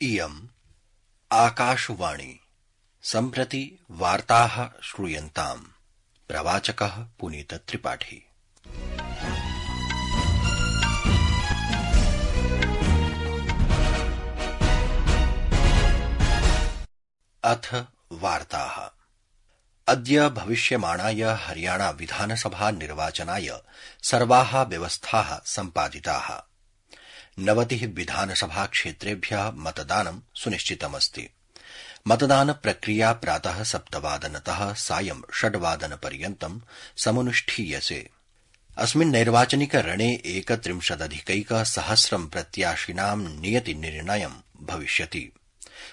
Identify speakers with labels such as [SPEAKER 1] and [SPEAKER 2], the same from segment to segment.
[SPEAKER 1] इयम् आकाशवाणी सम्प्रति वार्ताः श्रूयन्ताम्। प्रवाचकः पुनीत त्रिपाठी। अथ वार्ताः। अद्य भविष्यमाणाय हरियाणा विधानसभा निर्वाचनाय सर्वाः व्यवस्थाः सम्पादिताः। 90 विधानसभा क्षेत्रेभ्यः मतदानं सुनिश्चितमस्ति। मतदान प्रक्रिया प्रातः 7 वादनतः सायं 6 वादनपर्यन्तं समनुष्ठीयसे। अस्मिन् नैर्वाचनिक रणे 31,100 प्रत्याशिनां नियति निर्णयं भविष्यति।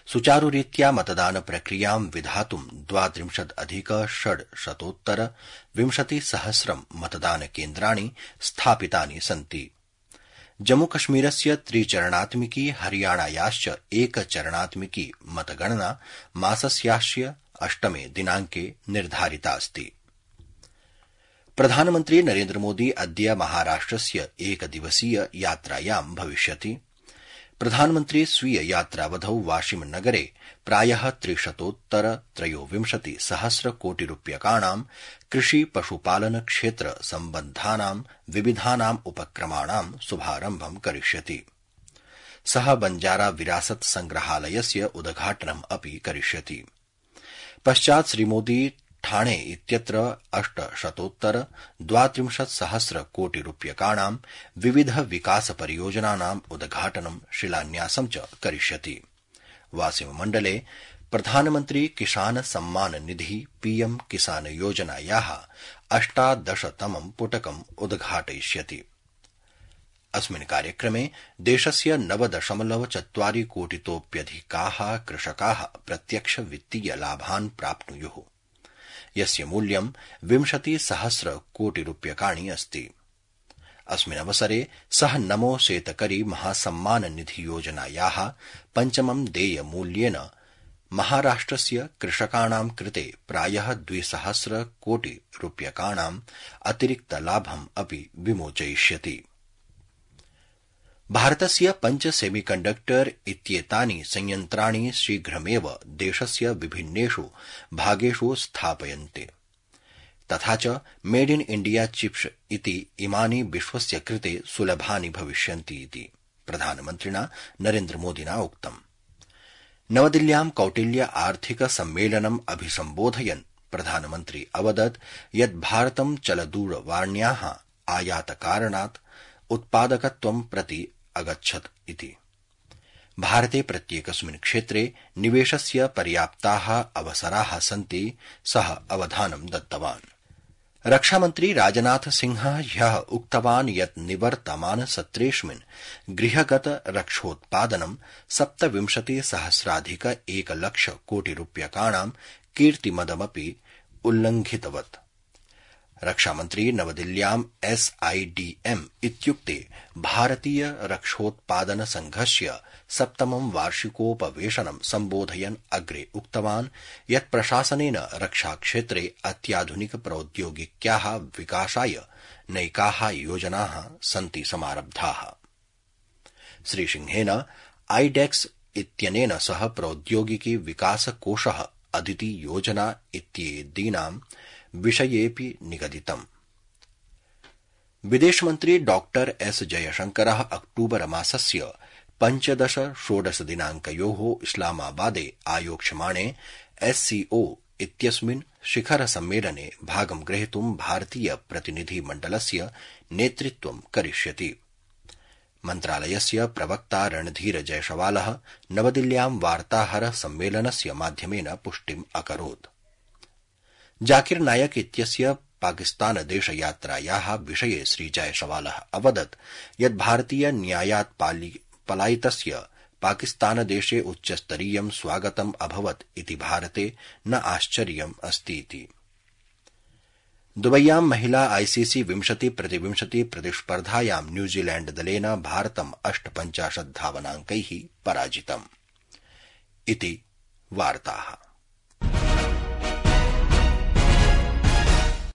[SPEAKER 1] सुचारुरीत्या मतदान प्रक्रियां विधातुं 32,620 मतदान केन्द्राणि स्थापितानि सन्ति। जम्मूकश्मीरस्य त्रिचरणात्मिकी हरियाणायाश्च एकचरणात्मिकी मतगणना मासस्यास्य 8 दिनांके निर्धारितास्ति। प्रधानमन्त्री नरेन्द्रमोदी अद्य महाराष्ट्रस्य एकदिवसीय यात्रायां भविष्यति। प्रधानमन्त्री स्वीय यात्रावधौ वाशिम नगरे प्रायः 300,000 कोटि रूप्यकाणां कृषि पशुपालन क्षेत्र सम्बद्धानां विविधानां उपक्रमाणां शुभारम्भं करिष्यति। सः बंजारा विरासत संग्रहालयस्य उद्घाटनम् अपि करिष्यति। पश्चात् श्रीमोदी ठाणे इत्यत्र 832,000 कोटि रूप्यकाणां विविध विकास परियोजनानां उद्घाटनं शिलान्यासं च करिष्यति। वासिम मण्डले प्रधानमन्त्री किसान सम्मान निधि पीएम किसान योजनायाः 18तमं पुटकम् उद्घाटयिष्यति। अस्मिन् कार्यक्रमे देशस्य 9.4 कोटितोऽप्यधिकाः कृषकाः प्रत्यक्ष वित्तीय लाभान् प्राप्नुयुः, यस्य मूल्यं 20,000 कोटि रूप्यकाणि अस्ति। अस्मिन् अवसरे सः नमो शेतकरी महासम्मान निधि योजनायाः 5मं देयमूल्येन महाराष्ट्रस्य कृषकाणां कृते प्रायः 2,000 कोटि रूप्यकाणां अतिरिक्तलाभम् अपि विमोचयिष्यति। भारतस्य 5 सेमीकण्डक्टर इत्येतानि संयन्त्राणि शीघ्रमेव देशस्य विभिन्नेषु भागेषु स्थापयन्ते। तथा च मेड इन इंडिया चिप्स इति इमानि विश्वस्य कृते सुलभानि भविष्यन्ति इति प्रधानमन्त्रिणा नरेन्द्रमोदिना उक्तम्। नवदिल्ल्यां कौटिल्य आर्थिक सम्मेलनम् अभिसम्बोधयन् प्रधानमन्त्री अवदत् यत् भारतं चलदूरवाण्याः आयातकारणात् उत्पादकत्वं प्रति अगच्छत् इति। भारते प्रत्येकस्मिन् क्षेत्रे निवेशस्य पर्याप्ताः अवसराः सन्ति, सः अवधानं दत्तवान्। रक्षामन्त्री राजनाथ सिंहः ह्यः उक्तवान् यत् निवर्तमान सत्रेऽस्मिन् गृहगत रक्षोत्पादनं 27,000,1 कोटि रूप्यकाणां कीर्तिमदमपि उल्लङ्घितवत्। रक्षामन्त्री नवदिल्ल्यां SIDM इत्युक्ते भारतीय रक्षोत्पादन संघस्य 7मं वार्षिकोपवेशनं सम्बोधयन् अग्रे उक्तवान् यत् प्रशासनेन रक्षाक्षेत्रे अत्याधुनिक प्रौद्योगिक्याः विकासाय नैकाः योजनाः सन्ति समारब्धाः। श्रीसिंहेन IDEX इत्यनेन सह प्रौद्योगिकी विकास कोषः अदिति योजना इत्येतीनां विषयेऽपि निगदितम्। विदेशमन्त्री डॉ S जयशंकरः अक्टूबर मासस्य 15-16 दिनांकयोः इस्लामाबादे आयोक्ष्यमाणे SCO इत्यस्मिन् शिखर सम्मेलने भागं ग्रहीतुं भारतीय प्रतिनिधि मण्डलस्य नेतृत्वं करिष्यति। मन्त्रालयस्य प्रवक्ता रणधीर जयसवालः नवदिल्ल्यां वार्ताहर सम्मेलनस्य माध्यमेन पुष्टिम् अकरोत्। जाकिर नायक इत्यस्य पाकिस्तान देशयात्रायाः विषये श्रीजयसवालः अवदत् यत् भारतीय न्यायात् पलायितस्य पाकिस्तानदेशे उच्चस्तरीयं स्वागतम् अभवत् इति भारते न आश्चर्यम् अस्तीति। दुबय्यां महिला ICC 20-20 प्रतिस्पर्धायां न्यूजीलैण्ड दलेन भारतं 58 धावनाङ्कैः पराजितम्। इति वार्ताः।